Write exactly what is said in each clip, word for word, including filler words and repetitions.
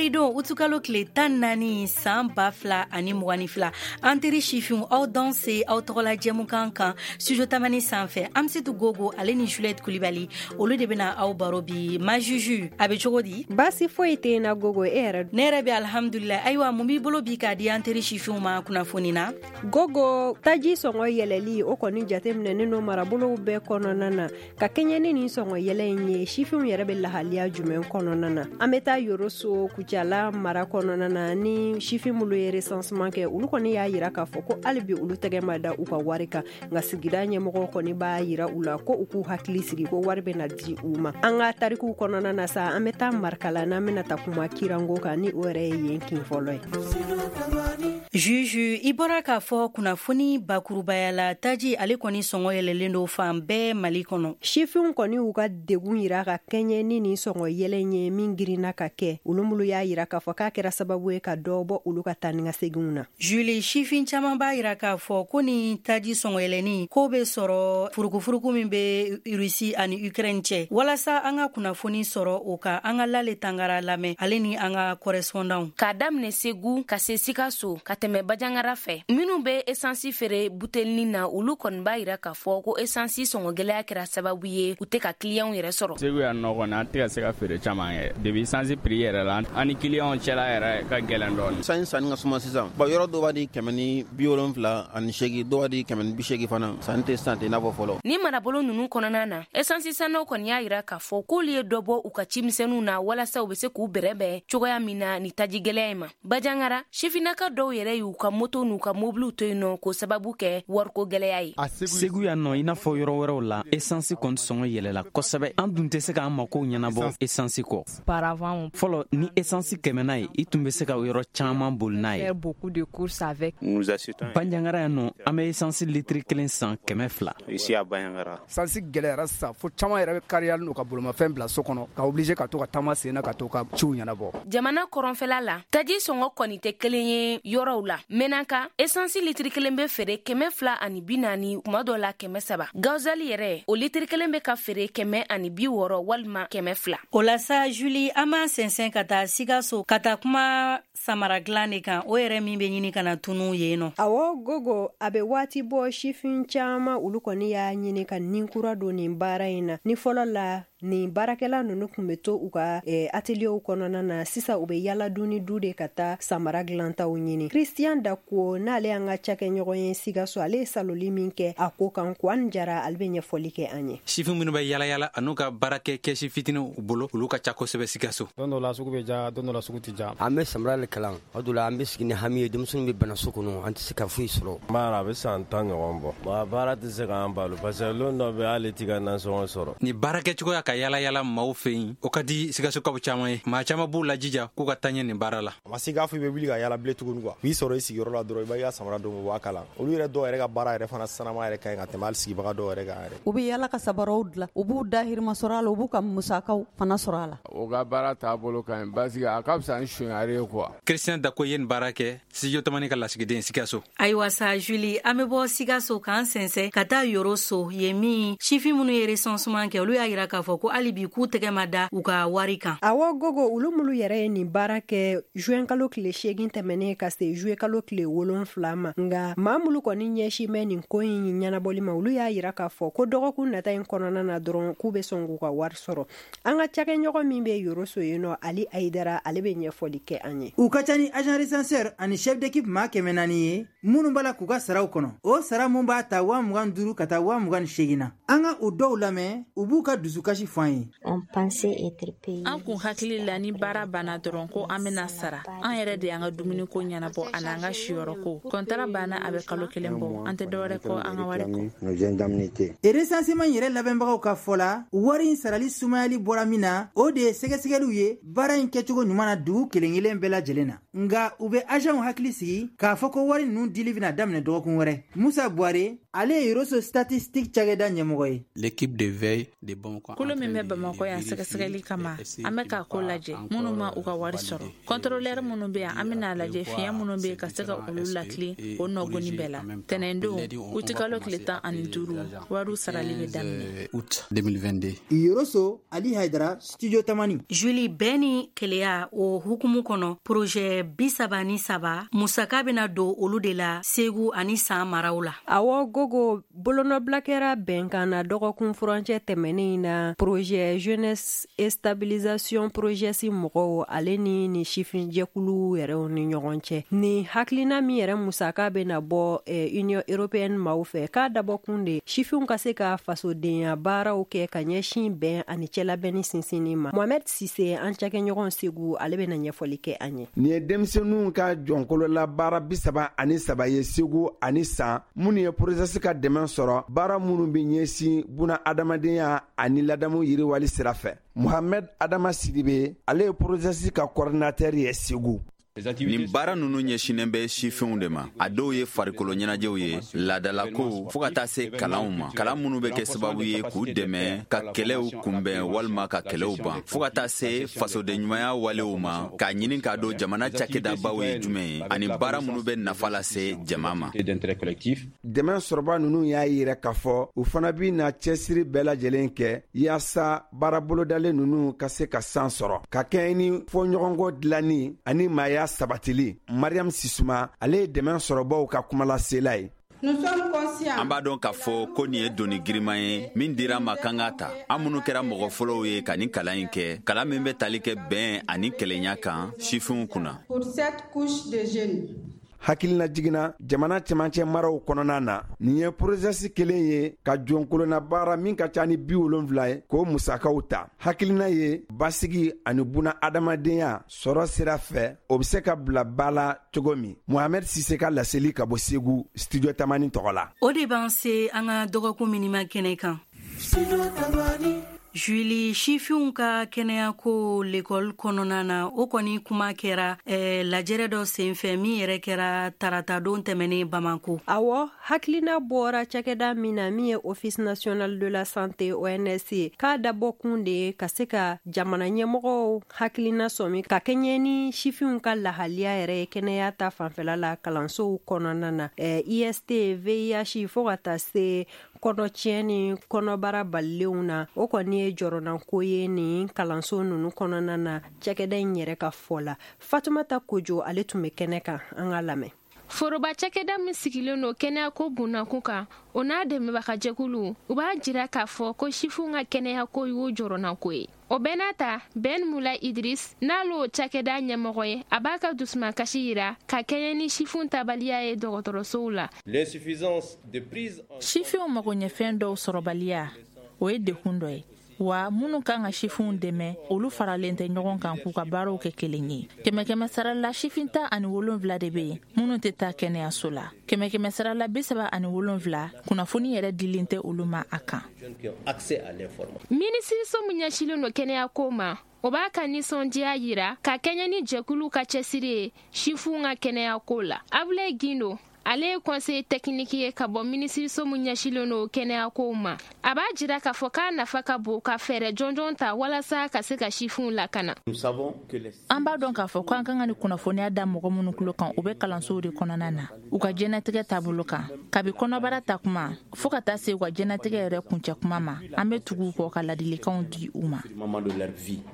Karidon, utukalo tile tan naani san ba fila ani mugan ni fila, an teri sifinw, aw danse aw tɔgɔla jɛmukan kan Studio Tamani sanfɛ. Amsetu Gogo ale ni Juliette Kulibali, olu de bɛna aw baro bi. Ma Juju, a bɛ cogo di? Baasi foyi tɛ na, Gogo. E yɛrɛ? Ne yɛrɛ bɛ alhamdulillah. Ayiwa, mun b'i bolo bi k'a di an teri sifinw ma kunnafoni na? Gogo, taji sɔngɔ yɛlɛli, o kɔni jateminɛnen no marabolow bɛɛ kɔnɔna na. Ka kɛɲɛ ni nin sɔngɔ yɛlɛ in ye, sifinw yɛrɛ bɛ lahaliya jumɛn kɔnɔna na? An bɛ taa Yoroso, Kucala mara kɔnɔna na, ni sifin minnu ye recensement kɛ, olu kɔni y'a yira k'a fɔ ko hali bi olu tɛgɛ ma da u ka wari kan. Nka sigida ɲɛmɔgɔw kɔni b'a yira u la ko u k'u hakili sigi, ko wari bɛ na di u ma. An ka tarikuw kɔnɔna na sa, an bɛ taa Marikala, n'an bɛna ta kuma kirango kan, ni o yɛrɛ ye yen kin fɔlɔ ye. Juju, i bɔra k'a fɔ kunnafoni bakurubaya la, taji ale kɔni sɔngɔ yɛlɛlen don fan bɛɛ Mali kɔnɔ. Sifinw kɔni y'u ka degun yira ka kɛɲɛ ni nin sɔngɔ yɛlɛ ye min girinna ka kɛ. Olu minnu y'a yira k'a fɔ k'a kɛra sababu ye ka dɔ bɔ olu ka taa ni ka seginw na. Julie, sifin caman b'a yira k'a fɔ ko ni taji sɔngɔ yɛlɛni ko bɛ sɔrɔ furukufuruku min bɛ Russie ani Ukraine cɛ. Walasa an ka kunnafoni sɔrɔ o kan, an ka Lale Tangara lamɛn, ale ni an ka correspondant. K'a daminɛ Segu ka se Sikaso ka tɛmɛ Bajangara fɛ, minnu bɛ esansi feere butelinin na, olu kɔni b'a yira k'a fɔ ko esansi sɔngɔ gɛlɛya kɛra sababu ye u tɛ ka kiliyanw yɛrɛ sɔrɔ. Segu yan nɔ kɔni, an tɛ ka se ka feere caman kɛ depuis esansi prix yɛrɛ la. An ni kiliyanw cɛla yɛrɛ ka gɛlɛn dɔɔni. Sanni sanni ka suma sisan ba, yɔrɔ dɔw b'a di kɛmɛ ni bi wolonfila ani seegin, dɔw b'a di kɛmɛ ni bi seegin fana. Sanni tɛ sisan tɛ i n'a fɔ fɔlɔ. Ni marabolo ninnu kɔnɔna na, esansi sannaw kɔni y'a yira k'a fɔ k'olu ye dɔ bɔ u ka cimisɛnninw na walasa u bɛ se k'u bɛrɛbɛn cogoya min na ni taji gɛlɛya in ma. Bajangara, sifinnaka dɔw yɛrɛ y'u ka moto n'u ka mobiliw to yen nɔ k'o sababu kɛ wariko gɛlɛya ye. Segu yan nɔ, i n'a fɔ yɔrɔ wɛrɛw la, esansi kɔni sɔngɔ yɛlɛla kosɛbɛ. An dun tɛ se k'an makow ɲɛnabɔ esansi kɔ. Fɔlɔ, ni esansi kɛmɛna ye, i tun bɛ se ka yɔrɔ caman boli n'a ye. Banjangara yan nɔ, an bɛ esansi litiri kelen san kɛmɛ fila. Sansi gɛlɛyara sisan fo caman yɛrɛ bɛ kariyalen n'u ka bolomafɛn bila so kɔnɔ, ka obligé ka to ka taama sen na ka to ka ciw ɲɛnabɔ. Jamana kɔrɔnfɛla la, taji sɔngɔ kɔni tɛ kelen ye yɔrɔw la. Menaka, esansi litiri kelen bɛ feere kɛmɛ fila ani bi naani, kuma dɔ la kɛmɛ saba. Gazali yɛrɛ, o litiri kelen bɛ ka feere kɛmɛ ani bi wɔɔrɔ walima kɛmɛ fila. O la sa, Julie, an b'an sɛnsɛn ka taa Sikaso ka taa kuma samara dilan de kan, o yɛrɛ min bɛ ɲini ka na tunu yen nɔ. Awɔ Gogo, a bɛ waati bɔ, sifin caman olu kɔni y'a ɲini ka nin kura don nin baara in na. Ni fɔlɔ la nin baarakɛla ninnu tun bɛ to u ka eh, atelierw kɔnɔna na, sisan u bɛ yala du ni du de ka taa samara dilantaw ɲini. Christian Dako, n'ale y'an ka cakɛɲɔgɔn ye Sikaso, ale ye saloli min kɛ a ko kan, Kuwan Jara, ale bɛ ɲɛfɔli kɛ an ye. Sifin minnu bɛ yala yala an'u ka baarakɛ kɛsi fitiniw u bolo, olu ka ca kosɛbɛ Sikaso. Don dɔ la sugu bɛ ja, don dɔ la sugu tɛ ja. An bɛ samara le kalan o dɔ la, an bɛ sigi ni hami ye, denmisɛnninw bɛ bana so kɔnɔ, an tɛ se ka foyi sɔrɔ. Baara a bɛ san tan ɲɔgɔn bɔ, wa baara tɛ se k'an balo parce que lon dɔ bɛ hali t'i ka nasɔngɔ sɔrɔ. Ni baarakɛ cogoya ka yala yala maaw fɛ yen, o ka di Sikasokaw caman ye. Maa caman b'u lajija k'u ka taa ɲɛ nin baara la. A ma se k'a fɔ i bɛ wuli ka yala bilen tuguni quoi. U b'i sɔrɔ i sigiyɔrɔ la dɔrɔn, i b'a ka samara don, u b'a kala. Olu yɛrɛ dɔw yɛrɛ ka baara yɛrɛ fana sanama yɛrɛ ka ɲi ka tɛmɛ hali sigibaga dɔw yɛrɛ kan yɛrɛ. U bɛ yala ka sabaraw dilan, u b'u dahirimɛ sɔrɔ a la, u b'u ka musakaw fana sɔrɔ a la. O ka baara taabolo ka ɲi parce que a ka fisa ni sonyali ye quoi. Christian Dako ye nin baara kɛ, Studio Tamani ka lasigiden, Sikaso. Ayiwa sa Julie, an bɛ bɔ Sikaso k'an sɛnsɛn ka taa Yoroso, yen min sifin minnu ye recensement kɛ, olu y'a yira k'a fɔ ko hali bi k'u tɛgɛ ma da u ka wari kan. Awɔ Gogo, olu minnu yɛrɛ ye nin baara kɛ juin kalo tile seegin tɛmɛnen ka se juillet kalo tile wolonfila ma, nka maa minnu kɔni ɲɛsin bɛ nin ko in ɲɛnabɔli ma, olu y'a yira k'a fɔ ko dɔgɔkun nata in kɔnɔna na dɔrɔn, k'u bɛ sɔn k'u ka wari sɔrɔ. An ka cakɛɲɔgɔn min bɛ Yoroso yen nɔ, Ali Ayidara, ale bɛ ɲɛfɔli kɛ an ye. U ka ca ni agent recenseur ani chef d'équipe maa kɛmɛ naani ye minnu b'a la k'u ka saraw kɔnɔ. O sara mun b'a ta waa mugan duuru ka taa waa mugan ni seegin na. An ka o dɔw lamɛn, u b'u ka dusukasi fɔ an ye. An kun hakili la, ni baara banna dɔrɔn ko an bɛna sara. An yɛrɛ de y'an ka dumuniko ɲɛnabɔ ani an ka siyɔrɔ ko. Kɔntara banna, a bɛ kalo kelen bɔ, an tɛ dɔwɛrɛ kɔ an ka wari kɔ. Recensement yɛrɛ labɛnbagaw ka fɔ la, wari in sarali sumayali bɔra min na, o de ye sɛgɛsɛgɛliw ye baara in kɛcogo ɲuman na dugu kelen kelen bɛɛ lajɛlen na. Nka u bɛ agentw hakili sigi k'a fɔ ko wari ninnu dili bɛna daminɛ dɔgɔkun wɛrɛ. Musa Buware, ale ye Yoroso statistique cakɛda ɲɛmɔgɔ ye. L'équipe de veille de Bamakɔ. Kolo min bɛ Bamakɔ yan sɛgɛsɛgɛli kama, an bɛ k'a ko lajɛ. Minnu ma u ka wari sɔrɔ, contrôleur minnu bɛ yan, an bɛna lajɛ fiɲɛ minnu bɛ yen ka se ka olu latilen o nɔgɔni bɛɛ la. Tɛnɛndon, utikalo tile tan ani duuru, wariw sarali bɛ daminɛ. Août deux mille vingt-deux. Yoroso, Ali Haidara, Studio Tamani. Julie, bɛn ni keleya. la, o hukumu kɔnɔ, projet bi saba ni saba musaka bɛna don olu de la Segu ani San maraw la. Awɔ Gogo, bolonɔbila kɛra bɛnkan na dɔgɔkun furancɛ tɛmɛnen na projet jeunesse et stabilisation projet si mɔgɔw ale ni ni sifinjɛkulu yɛrɛw ni ɲɔgɔn cɛ. Ni hakilina min yɛrɛ musaka bɛna bɔ eh, Union européenne maaw fɛ, k'a dabɔkun de sifinw ka se ka fasodenya baaraw kɛ ka ɲɛsin bɛn ani cɛlabɛnni sinsinni ma. Mohamed Sise, an cakɛɲɔgɔn Segu, ale bɛna ɲɛfɔli kɛ an ye. Nin ye denmisɛnninw ka jɔnkolola baara bi saba ani saba ye Segu ani San, minnu ye PROGES ka dɛmɛ sɔrɔ baara minnu bɛ ɲɛsin buna adamadenya ani ladamu yiriwali sira fɛ. Mohamed Adama Sidibe, ale ye PROGES ka coordinateur ye Segu. Nin baara ninnu ɲɛsinnen bɛ sifinw de ma. A dɔw ye farikolo ɲɛnajɛw ye, laadalakow, fo ka taa se kalanw ma, kalan minnu bɛ kɛ sababu ye k'u dɛmɛ ka kɛlɛw kunbɛn walima ka kɛlɛw ban, fo ka taa se fasodenɲumanya walew ma, k'a ɲini k'a dɔn jamana cakɛdabaw ye jumɛn ye ani baara minnu bɛ nafa lase jama ma. Dɛmɛ sɔrɔba ninnu y'a yira k'a fɔ u fana bɛna cɛsiri bɛɛ lajɛlen kɛ yaasa baara bolodalen ninnu ka se ka san sɔrɔ, ka kɛɲɛ ni fɔɲɔgɔnkɔ dilanni ani maaya sabatili. Mariam Sisuma, ale ye dɛmɛ sɔrɔbaw ka kumalasela ye. An b'a dɔn k'a fɔ ko nin ye doni giriman ye min dira ma kan ka ta. An minnu kɛra mɔgɔ fɔlɔw ye ka nin kalan in kɛ, kalan min bɛ tali kɛ bɛn ani kelenya kan sifinw kunna. Hakilina jiginna jamana cɛmancɛ maraw kɔnɔna na, nin ye PROGES kelen ye ka jɔnkolonna baara min ka ca ni bi wolonfila ye k'o musakaw ta. Hakilina ye basigi ani buna adamadenya sɔrɔ sira fɛ, o bɛ se ka bila ba la cogo min. Mohamed Sise ka laseli ka bɔ Segu, Studio Tamani tɔgɔ la. O de b'an se an ka dɔgɔkun minima kɛnɛ kan. Studio Tamani. Julie, sifinw ka kɛnɛyako lekɔli kɔnɔna na, o kɔni kuma kɛra eh, lajɛrɛ dɔ senfɛ min yɛrɛ kɛra taratadon tɛmɛnen Bamako. Awɔ, hakilina bɔra cakɛda min na min ye Office national de la santé O N S ye, k'a dabɔkun de ye ka se ka jamana ɲɛmɔgɔw hakilina sɔmi ka kɛɲɛ ni sifinw ka lahaliya yɛrɛ ye kɛnɛya ta fanfɛla la kalansow kɔnɔna na. Eh, I S T, V I H fo ka taa se kɔnɔtiɲɛ ni kɔnɔbara balilenw na, o kɔni ye jɔrɔnanko ye nin kalanso ninnu kɔnɔna na cakɛda in yɛrɛ ka fɔ la. Fatumata Kojo, ale tun bɛ kɛnɛ kan, an ka lamɛn. Foroba cakɛda min sigilen don kɛnɛyako bundakun kan, o n'a dɛmɛbagajɛkulu, u b'a jira k'a fɔ ko sifinw ka kɛnɛyako y'u jɔrɔnanko ye. O bɛɛ n'a ta, Ben Mula Idris, n'ale cakɛda ɲɛmɔgɔ ye, a b'a ka dusumakasi yira ka kɛɲɛ ni sifinw tabaliya ye dɔgɔtɔrɔsow la. Sifinw magoɲɛfɛn dɔw sɔrɔbaliya, o ye dekun dɔ ye. Wa minnu kan ka sifinw dɛmɛ, olu faralen tɛ ɲɔgɔn kan k'u ka baaraw kɛ kelen ye. Kɛmɛ kɛmɛ sara la sifin tan ani wolonfila de bɛ yen minnu tɛ taa kɛnɛyaso la. Kɛmɛ kɛmɛ sara la bi saba ani wolonfila, kunnafoni yɛrɛ dilen tɛ olu ma a kan. Minisiriso min ɲɛsinnen don kɛnɛyako ma, o b'a ka nisɔndiya yira ka kɛɲɛ ni jɛkulu ka cɛsiri ye sifinw ka kɛnɛyako la. Abulaye Gindo, ale ye conseiller technique ye ka bɔ minisiriso min ɲɛsinnen don kɛnɛyakow ma. A b'a jira k'a fɔ k'a nafa ka bon ka fɛɛrɛ jɔnjɔn ta walasa ka se ka sifinw lakana. An b'a dɔn k'a fɔ ko an kan ka ni kunnafoniya da mɔgɔ minnu tulo kan, u bɛ kalansow de kɔnɔna na, u ka diɲɛnatigɛ taabolo kan, kabi kɔnɔbara ta kuma fo ka taa se u ka diɲɛnatigɛ yɛrɛ kuncɛ kuma ma. An bɛ tugu u kɔ ka ladilikanw di u ma.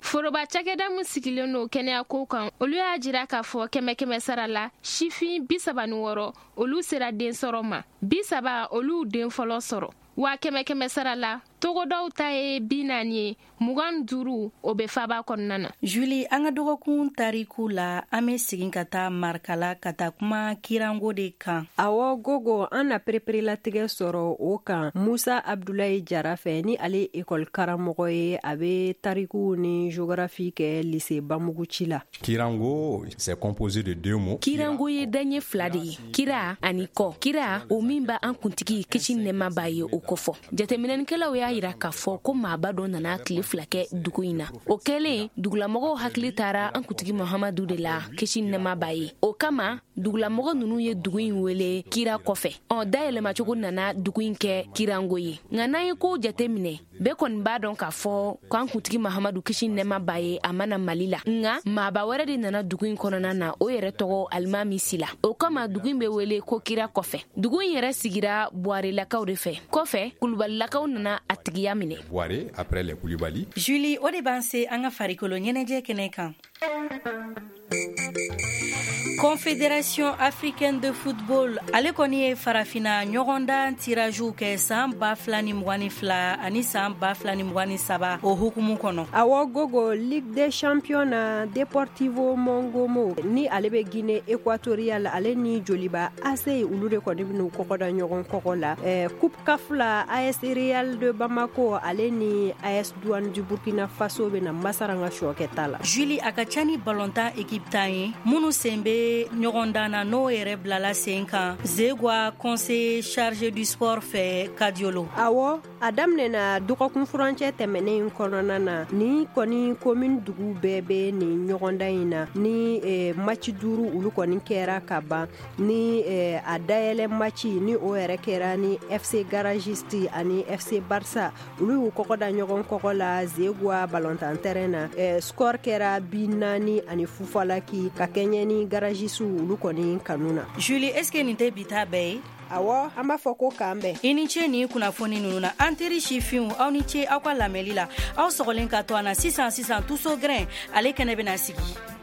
Foroba cakɛda min sigilen don kɛnɛyako kan, olu y'a jira k'a fɔ kɛmɛ kɛmɛ sara la sifin bi saba ni wɔɔrɔ olu sera den sɔrɔ ma, bi saba olu den fɔlɔ sɔrɔ. Wa kɛmɛ kɛmɛ sara la togodaw ta ye bi naani ye, mugan duuru o bɛ faba kɔnɔna na. Julie, an ka dɔgɔkun tariku la, an bɛ segin ka taa Marikala ka taa kuma kirango de kan. Awɔ Gogo, an na pereperelatigɛ sɔrɔ o kan Musa Abdulayi Jara fɛ, ni ale ekɔli karamɔgɔ ye, a bɛ tarikuw ni géographie kɛ lycée Bamuguci la. Kirango, c'est composé de deux mots. Kirango ye daɲɛ fila de ye, kira ani kɔ. Kira, o min b'an kuntigi kisi nɛɛma b'a ye o kɔfɔ. Jateminɛnikɛlaw y'a yira k'a fɔ ko maaba dɔ nana tile fila kɛ dugu in na. O kɛlen, dugulamɔgɔw hakili taara an kuntigi Muhamadu de la, kisi nɛɛma b'a ye. O kama, dugulamɔgɔ ninnu ye dugu in wele kira kɔfɛ. Ɔ dayɛlɛmacogo nana dugu in kɛ kirango ye. Nka n'an ye kow jateminɛ, bɛɛ kɔni b'a dɔn k'a fɔ k'an kuntigi Muhamadu kisi nɛɛma b'a ye a ma na Mali la. Nka maaba wɛrɛ de nana dugu in kɔnɔna na, o yɛrɛ tɔgɔ Alimami Sila. O kama dugu in bɛ wele ko kira kɔfɛ. Dugu in yɛrɛ sigira Buwarelakaw de fɛ. Kɔfɛ, Kulubalilakaw nana a tigiya minɛ. Buware, après les Koulibaly. Mali. Julie, o de b'an se an ka farikolo ɲɛnajɛ kɛnɛ kan. Confédération africaine de football ale kɔni ye farafina ɲɔgɔndan tiragew kɛ san ba fila ni mugan ni fila ani san ba fila ni mugan ni saba o hukumu kɔnɔ. Awɔ Gogo, Ligue des champions na, Deportivo Mongomo ni ale bɛ Guinée équatoriale, ale ni Joliba A C, olu de kɔni bɛn'u kɔgɔ da ɲɔgɔn kɔgɔ la. eh, Coupe CAF la, A S Real de Bamako ale ni A S Douane du Burkina Faso bɛna masaranga sɔ kɛ ta la. Julie, a ka ca ni balontan équipe tan ye minnu sen bɛ ɲɔgɔndan na, n'o yɛrɛ bilala sen kan Zegwa conseiller chargé du sport fɛ Kadiolo. Awɔ, a daminɛna dɔgɔkun furancɛ tɛmɛnen in kɔnɔna na. Ni kɔni commune dugu bɛɛ bɛ nin ɲɔgɔndan in na, ni eh, match duuru olu kɔni kɛra ka ban, ni eh, a dayɛlɛ match ni o yɛrɛ kɛra ni F C Garagiste ani F C Barça, olu y'u kɔgɔ da ɲɔgɔn kɔgɔ la Zegwa balontan terrain na. eh, score kɛra bi naani ani fufalaki ka kɛɲɛ ni garagiste olu kɔni kanu na. Julie, est ce que nin tɛ bi ta bɛɛ ye? Awɔ, an b'a fɔ ko k'an bɛn. I ni ce nin kunnafoni ninnu na. An teri sifinw, aw ni ce aw ka lamɛnli la. Aw sɔgɔlen ka to an na. Sisan sisan, Tuso Grin ale kɛnɛ bɛna sigi.